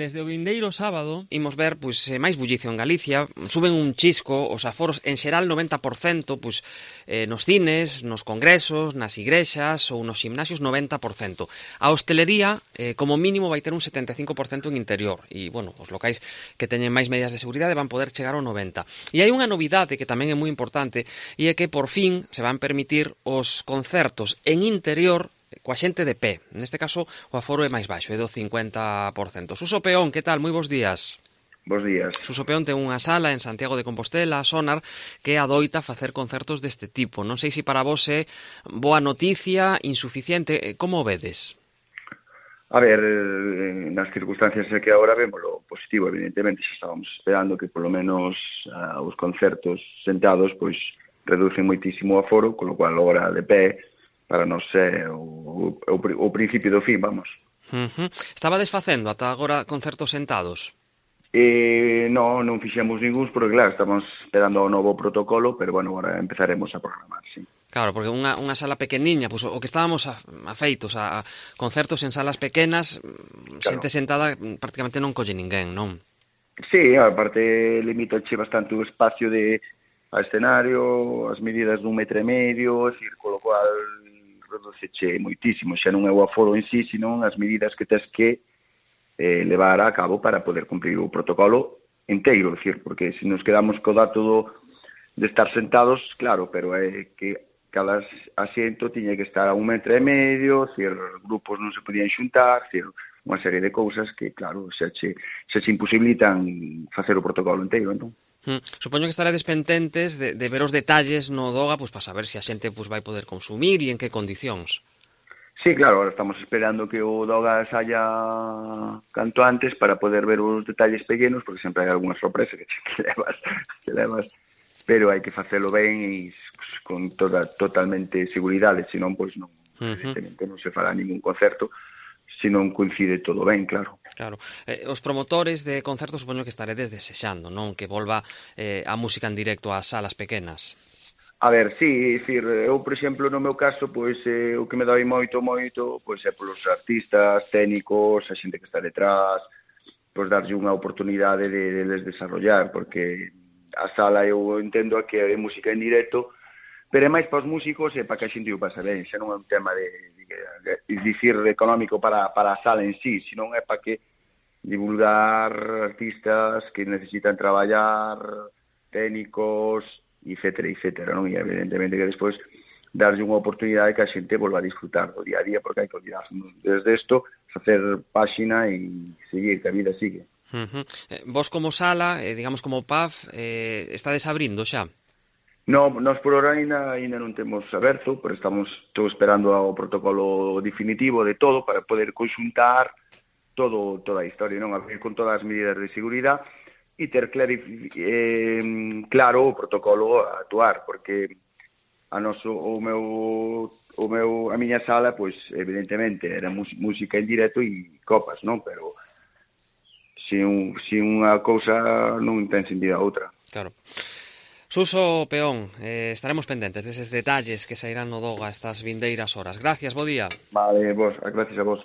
Desde o vindeiro sábado imos ver máis bullicio en Galicia, suben un chisco os aforos, en xeral 90%, nos cines, nos congresos, nas igrexas ou nos gimnasios 90%. A hostelería, como mínimo, vai ter un 75% en interior e, os locais que teñen máis medidas de seguridade van poder chegar ao 90%. E hai unha novidade que tamén é moi importante e é que por fin se van permitir os concertos en interior coa xente de pé. Neste caso, o aforo é máis baixo, é do 50%. Suso Peón, que tal? Moi bons días. Bos días. Suso Peón ten unha sala en Santiago de Compostela, Sonar, que adoita facer concertos deste tipo. Non sei se para vos é boa noticia, insuficiente, como o vedes? A ver, nas circunstancias que agora vemos lo positivo, evidentemente, xa estábamos esperando que polo menos os concertos sentados reducen moitísimo o aforo, con lo cual agora de pé para nós é o principio do fin, vamos. Estaba desfacendo ata agora concertos sentados? Non fixemos ningúns, porque claro, estamos esperando o novo protocolo, pero agora empezaremos a programar, sí. Claro, porque unha sala pequeniña, o que estábamos afeitos a concertos en salas pequenas, xente sentada prácticamente non colle ninguén, non? Sí, aparte limitache bastante o espacio a escenario, as medidas d'1,5 metro, con lo cual reduceche moitísimo, xa non é o aforo en sí, senón as medidas que tes que levar a cabo para poder cumprir o protocolo inteiro, porque se nos quedamos co dato de estar sentados, claro, pero é que cada asiento tiña que estar a 1,5 metro, grupos non se podían xuntar, unha serie de cousas que, claro, xa che imposibilitan facer o protocolo inteiro, entón. Supoño que estaredes pendentes de ver os detalles no Doga para saber se a xente vai poder consumir e en que condicións. Sí, claro, ahora estamos esperando que o Doga saia canto antes para poder ver os detalles pequenos, porque sempre hai algunha sorpresa que levas, pero hai que facelo ben e con totalmente seguridade, senón non, evidentemente non se fará ningún concerto se non coincide todo ben, claro. Claro. Os promotores de concertos supoño que estaredes desexando, non? Que volva a música en directo ás salas pequenas. A ver, sí, eu, por exemplo, no meu caso, o que me dai moito, é polos artistas, técnicos, a xente que está detrás, darlle unha oportunidade de les desarrollar, porque a sala eu entendo que é música en directo, pero é máis para os músicos e para que a xente o pase ben, xa non é un tema de dicir económico para a sala en sí, senón é para que divulgar artistas que necesitan traballar, técnicos, etcétera, non? E evidentemente que despois darlle unha oportunidade que a xente volva a disfrutar do día a día, porque hai que olvidarse desde isto, facer páxina e seguir, que a vida sigue. Vos como sala, digamos como pub, estades abrindo xa? Non, nós por ahora ainda non temos aberto, pero estou esperando o protocolo definitivo de todo para poder conxuntar toda a historia, non? Abrir con todas as medidas de seguridade e ter claro o protocolo a actuar, porque a miña sala, evidentemente, era música en directo e copas, non? Pero se unha cousa non ten sentido a outra. Claro. Suso Peón, estaremos pendentes deses detalles que sairán no Doga estas vindeiras horas. Gracias, bo día. Vale, gracias a vos.